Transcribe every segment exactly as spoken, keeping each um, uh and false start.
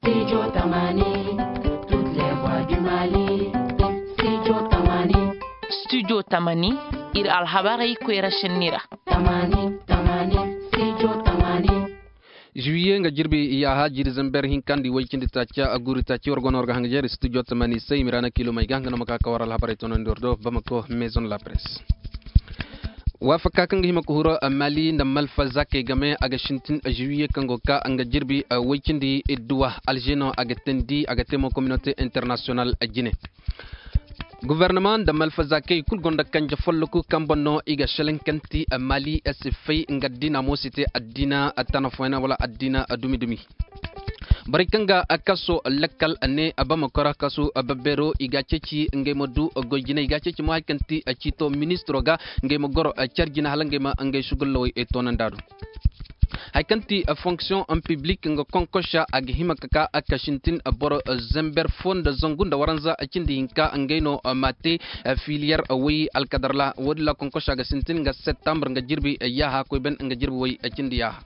Studio tamani, toutes les voix du Mali. Studio tamani. Studio tamani, ir alhabarey koyra senni ra. Tamani, tamani, studio tamani. Juwiye nga jirbi yaaha jiiri zamber hinka nda i way cindi taaca a guuri taaci war go no war ga hanga jeeri studio tamani se i ma ra na kiilomey ga nga no ma ka ka war alhabarey toonandi war do bamako maison la presse. Waafaka kaŋ ga hima ka huru mali nda malfa zakey game a ga sintin juwiye kaŋ go ga ka nga jirbi way cindi idduwa alže no a ga teendi a ga te mo communauté international jine. Gobornama nda malfazakey kulu gonda kanje folloku kaŋ boŋ no i ga selaŋ kaŋ ti mali se fay nga addiina mo si te addiina tana fooyaŋ wala addiina dumi-dumi. Borey kaŋ ga kaso lakkal ne bamakora kasu babbeero i ga a ceeci ngey ma du goy jine i ga a ceeci mo hari kaŋ ti ciito ministiro ga ngey ma goro care jine hala ngey ma ngey sugullawey toonandi a do. Hari kaŋ ti fonction en public nga konkosa a ga hima ka ka a ka sintin boro zember fo nda zangu nda waranza cindi hinka ngey no ma te filiyar way alkadar ra wo- din ra konkosa ga sintin nga septembre nga jirbi yaaha koy ben nga jirbi way cindi yaaha.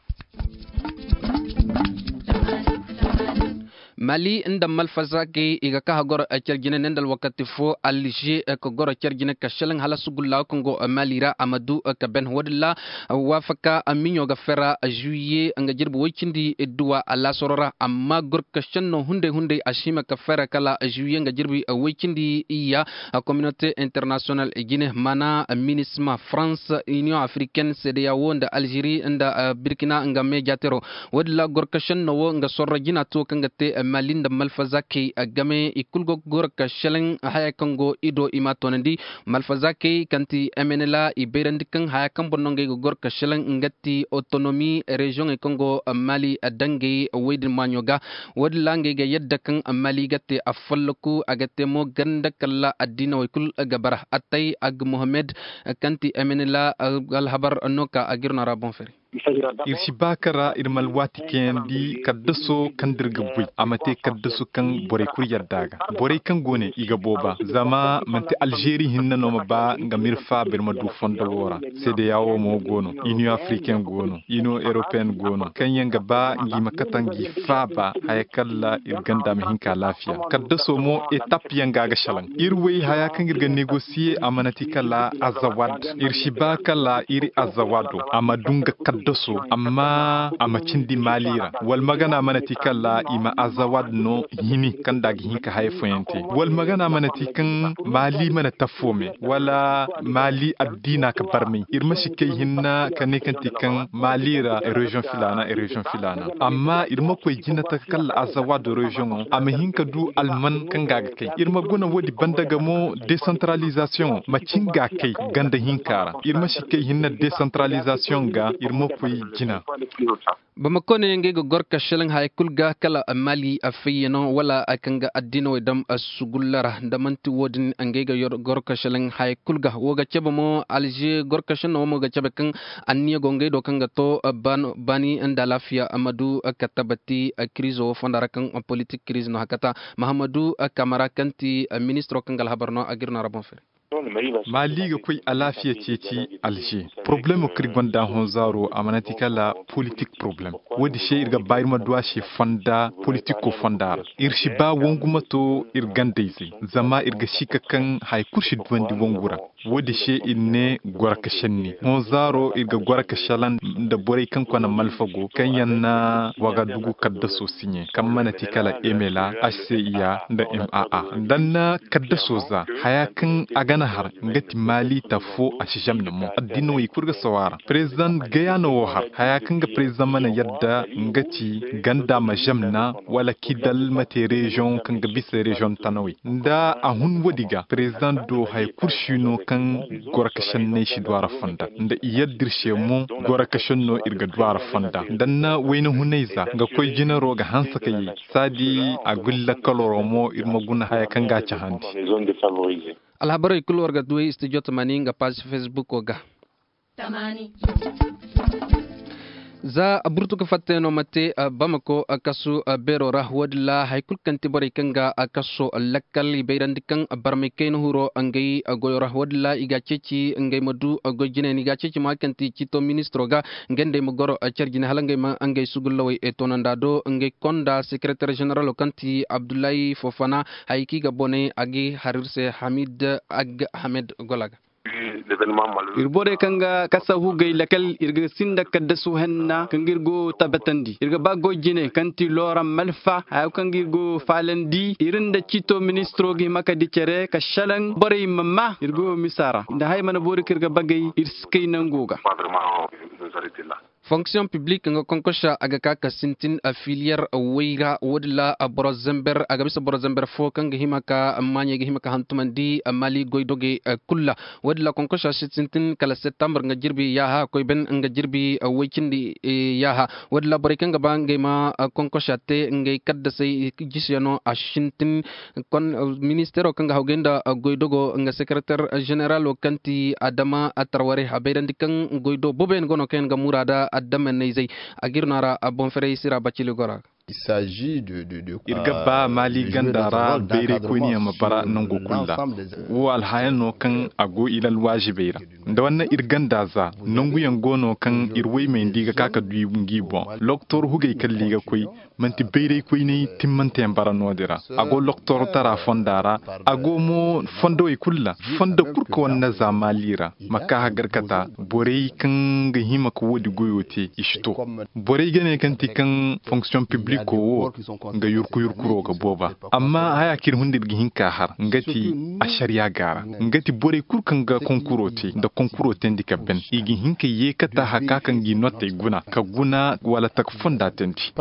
Mali nda malfazakey i ga ka hagoro care jine ne nda alwakati fo alže ka goro care jine ka selaŋ hala sugulla kaŋ go mali ra a ma du ka ben wo- din ra. Waafaka miɲo ga fera juwiye nga jirbi way cindi duwa alaasaro ra amma gorkasenno hunday hunday a si hima ka fera kala juwiye nga jirbi way cindi iyya. Communauté international jine maana minisma france union africaine sedeyawo nda alžeri nda birkina nga meejatero. Wo- din ra gorkasenno wo nga sorro jina to kaŋ ga te mali nda malfazakey game i kulu go goro ka selaŋ haya kaŋ go i do i m'a toonandi. Malfazakey kaŋ ti mnla i bayrandi kaŋ haya kaŋ boŋ no ngey ga goro ka selaŋ nga ti otonomi reziyoŋey kaŋ go mali dangey wey din maaɲo ga. Wo- din ra ngey ga yadda kaŋ mali ga te a folloku a ga te mo ganda kala addiinawey kulu ga bara attay ag mohammed kaŋ ti mnla alhabar no ka a g'ir no ra boŋ fari. Ir si ba ka ra ir ma alwaati kayandi kaddaso kaŋ da ir ga goy a ma te kaddaso kaŋ borey kulu yadda a ga. Borey kaŋ go ne i ga booba zama manti alžeri hinne no ma ba nga ma ir faaba ir ma du fondo wo ra. Sedeyawo mo go no, iniyo afriken go no, iniyo eropeen go no kaŋ yaŋ ga ba ngi ma kate ngi faaba haya kaŋ ra ir ganda ma hin ka alaafiya. Kaddaso mo etap yaŋ ga a ga salaŋ ir wey haya kaŋ ir ga negosiye a mana ti kala azawad. Ir si ba kala ir azawado a ma du nga kaddaso amma a ma cindi maali ra. Wala magana mana ti kala i ma azawad no hini kaŋ nda a ga hin ka haya fooyaŋ te. Wala magana mana ti kaŋ maali mana tafo me wala maali addiina ka barmay ir ma si kay hinna ka ne kaŋ ti kaŋ maali ra reziyoŋ filaana reziyoŋ filaana. Amma ir ma koy jina taka kala azawado reziyoŋo a ma hin ka du alman kaŋ ga a ga kay ir ma guna woodi banda ga mo desantaralizasiyoŋo ma cin ga a kay ganda hinka ra. Ir ma si kay hinna desantaralizasiyoŋ ga ir ma koy jina. Bamako ne ngey ga goro ka selaŋ haya kulu ga kala mali a fayyano wala kaŋ ga addiinawey dam sugulla ra nda man'ti wo-din ngey ga goro ka selaŋ haya kulu ga wo ga cabe mo alže goro ka selaŋ no wo mo ga cabe kaŋ anniya go ngey do kaŋ ga to baani nda alaafiya ma du ka tabati kiriizo wo fonda ra kaŋ politik kiriiz no hakata mahammadu kamara kaŋ ti ministiro kaŋ ga alhabar no a g'ir no ra boŋ fere. Maali ga koy alaafiya ceeci alže porobalemo kaŋ ir gonda honzaaro a mana ti kala politik porobalem. Wo-din se ir ga ba ir ma du a se fonda politiko fonda ra. Ir si ba wangu ma to ir gandayzey zama ir ga si ka kaŋ haya kulu si duwandi wangu ra. Wo-din se ir ne goro ka senni honzaaro ir ga goro ka selaŋ nda borey kaŋ kona malfa go kaŋ yaŋ na wagadugu kaddaso siɲe kaŋ mana ti kala emela hcea nda maa. Nda ni na kaddaso za haya kaŋ a ga na har nga ti maali ta fo a si zamna mo addiinawey kulu ga sawa ra. Perezidaŋ gayano wo har haya kaŋ ga perezidaŋ mana yadda nga ti ganda ma zamna wala kidal ma te reziyoŋ kaŋ ga bisa reziyoŋ tanawey. Nda a hun woodi ga perezidaŋ do haya kulu si no kaŋ goro ka senney si du a ra fonda nda i yadda ir se mo goro ka senno ir ga du a ra fonda. Nda ni na wayna hunayza nga koy jinaro ga hanse ka yay saadi a gulli lakkaloro mo ir ma guna haya kaŋ ga a cahandi. Alhabarey kulu war ga duwey studio tamani nga paazi fesbuko ga. Za burtu ka fattay no ma te bamako kasu beero ra, wo-din ra hari kulu kaŋ ti borey kaŋ ga kaso lakkal i bayrandi kaŋ barmay kayna huro ngey goyo ra. Wo-din ra i ga a ceeci ngey ma du goy jinay no i ga a ceeci mo hari kaŋ ti ciito ministiro ga ngey nd'ey ma goro care jine hala ngey ma ngey sugullawey toonandi a do ngey konda sekereter ženeralo kaŋ ti abdullahi fofana. Hayey kaŋ i ga boney a ga i har ir se hamid ag hamed gola ga. Ir borey kaŋ ga kasa hugey lakal ir ga sinda kaddasu henna kaŋ ga ir go tabatandi ir ga ba goy jine kaŋ ti looram malfa hayo kaŋ ga ir go faalandi ir nda ciito ministiro ga hima ka di cere ka šelaŋ borey ma maa ir go misa ra nda haya mana boori kaŋ ir ga bagay ir si kay nango ga. Fonksiyoŋ piblik nga konkosa a ga ka ka sintin filiyer woy ra wo-din ra boro zember a ga bisa boro zember fo kaŋ ga hima ka maaɲey ga hima ka hantumandi maali goydogey kulu ra. Wo-din ra konkosa si sintin kala septambar nga jirbi yaaha a koy ben nga jirbi woy cindi yaaha. Wo-din ra borey kaŋ ga ba ngey ma konkosa te ngey kaddasey jisiyano a sintin ministeero kaŋ ga hawgay nda goydogo nga sekereter ženeralo kaŋ ti adama tarware a bayrandi kaŋ goydo boboyaŋ go no kaŋ yaŋ ga muraada adama nayzey. A ga ir no a ra boŋ ferey sira bacili gora. Ir ga ba maali ganda ra bayray koyniyaŋ ma bara nangu kulu ra. Wo alhayaŋ no kaŋ a go ilal waazibey ra nda wanne ir ganda za nanguyaŋ go no kaŋ ir woy mayndi ga ka ka du ngi boŋ loktor hugey kalli ga koy. Manti bayray koyney timmanteyaŋ bara no-din ra a go loktorotara fonda ra. A go mo fondowey kulu ra fondo kulu ka wane na za maali ra ma ka hagarkata borey kaŋ ga hima ka wo-din goyo te i si to. Borey ga ne kaŋ ti kaŋ fonksiyoŋ pibliko wo nga yurku yurkuro ga booba. Amma haya kaŋ ir hunda ir ga hin ka har nga ti ašariya gaara nga ti borey kulu kaŋ ga konkuro te nda konkuro teendi ka ben i ga hin ka yeekata haka kaŋ ga i nootey guna ka guna wala taka fonda teendi.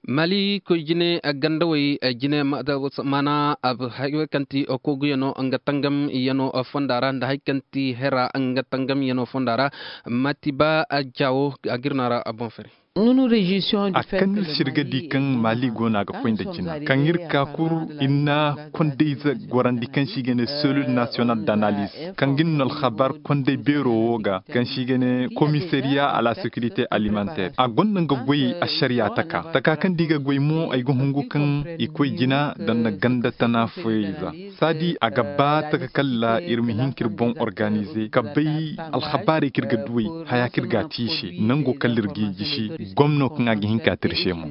Maali koy jine gandawey jine maana hayo kaŋ ti kooguyano nga tangamyano fonda ra nda hari kaŋ ti hera nga tangamyano fonda ra. Matiba jaawo a ga ir no a ra boŋ fere. A kaŋ ir si ir ga di kaŋ maali go no a ga koy nda jina kaŋ ir ka kul ir na kondayze gorandi kaŋ se i ga ne selil nasiyonal d'analiz kaŋ ga ni no alhabar konday beero wo ga kaŋ se i ga ne komisariya a la sekirite alimanter a gonda nga goy ašariya taka taka kaŋ da i ga goy mo ay ga hungu kaŋ i koy jina nda nda ganda tana foyey za. Saadi a ga ba taka kalla ir ma hin ka ir boŋ organize ka bay alhabaarey kaŋ ir ga duwey haya kaŋ ir ga a te i se nango kalla ir g'i jisi gomno kaŋ a ga hin ka te ir se mo.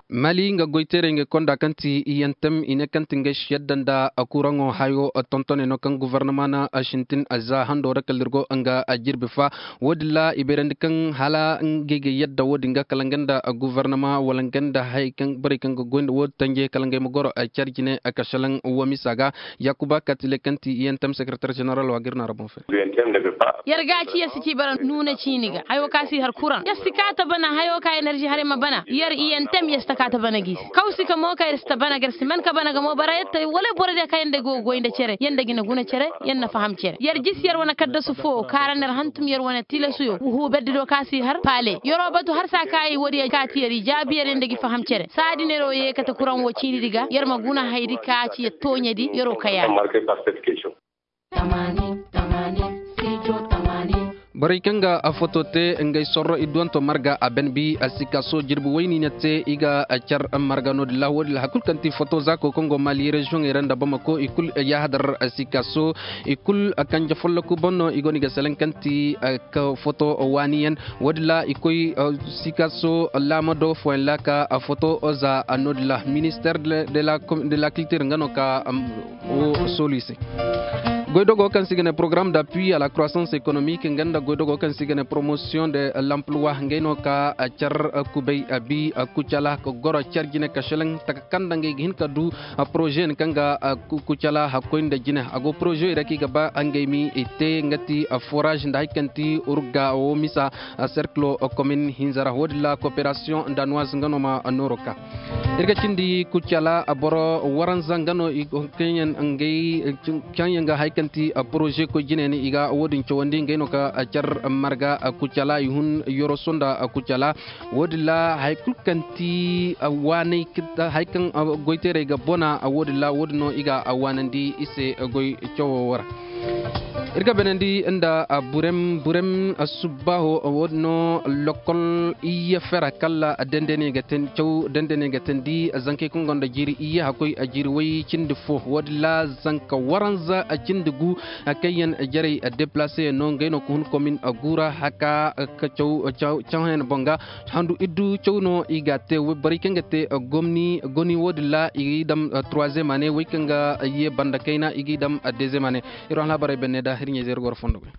Mali nga goyteerey nga konda kaŋ ti iyantem i ne kaŋ ti ngey si yadda nda kuraŋo hayo tontoney no kaŋ govornama na sintin za hando ra kalla ir go nga jirbi fa. Wo-din ra i bayrandi kaŋ hala ngey ga yadda wo-din ga kala nga nda govornama wala nga nda borey kaŋ ga goy nda wo-din tanje kala ngey ma goro care jine ka salaŋ wo misa ga. Yaakuba katile kaŋ ti iyantem sekereter ženeral wa ga ir no a ra boŋ fere. Yer ga ci yer si ci bara nuuna ciini ga hayo ka si har kuraŋ yer si ka ta bana hayo ka enerži haray ma bana yer iyantem yer si ta ka ta bana gi se kaw si ka mo ka yer si ta bana ga yer si man ka bana ga mo bara yer ta wala boro diya ka yer nda go goy nda cere yer nda gina guna cere yer na faham cere yer jisi yer wane kaddasu fo kaara nda yer hantum yer wane tilasu yo huuberdi do ka si har paale yer'o batu har saa ka i woodiyo ka ti yer i jaabi yer yer nda gi faham cere saadi no yer'o yee kate kuraŋ wo ciini di ga yer ma guna hayadi ka ci yer tooɲe di yer'o kay a ra. Borey kaŋ ga foto te ngey sorro i duwanto marga a ben bi a sikaaso jirbi wayni na te i ga car marga no-din ra wo-din ra hari kulu kaŋ ti foto zaako kaŋ go mali reziyoŋey ra nda bamako i kulu yaahadar sikaaso i kulu kanje folloku boŋ no i go no i ga selaŋ kaŋ ti foto waaniyaŋ. Wo-din ra i koy sikaaso laamado fooyaŋ ra ka foto za no-din ra minister de la kiltir nga no ka wo soolu i se. Goydogo kaŋ se i ga ne porogaram d'appui à la croissance économique nga nda goydogo kaŋ se i ga ne promotion de l'emploi ngey no ka car kubay bi kucala ka goro car jine ka selaŋ taka kaŋ nda ngey ga hin ka du porozeyaŋ kaŋ ga kucala hakkoy nda jine a go poroze ra kaŋ i ga ba ngey ma i te nga ti forage nda hari kaŋ ti urga wo misa cercle commune hinza ra wo-din ra coopération danoise nga no ma nooro ka. Ir ga cindi kucala boro waranza nga no kaŋ yaŋ ga hari kaŋ ti poroze koy jine ni i ga wo-din cawandi ngey no ka car marga kucala i hun yoroso nda kucala. Wo-din ra hari kulu kaŋ ti waanay hari kaŋ goyteerey ga bona wo-din ra wo-din no i ga waanandi i se goy cawo ra. Ir ga beenandi nda burem burem subbaaho. Wo- din no lokol iyye fera kala dende ne ga teendi caw dende ne ga teendi zankey kaŋ gonda jiiri iyye hakkoy jiiri way cindi fo wo- din ra zanka waranza cindi gu. Kaŋ yaŋ jarey deplaseyaŋ no ngey no ga hun komin gu ra haka ka caw caw hayana boŋ ga. Handu iddu caw no i ga a te borey kaŋ ga te gomni goni wo- din ra i ga i dam troisième année wey kaŋ ga ye banda kayna i ga i dam deuxième année. Ir wane alhabarey benne da hirɲey zeeri goro fondo goy.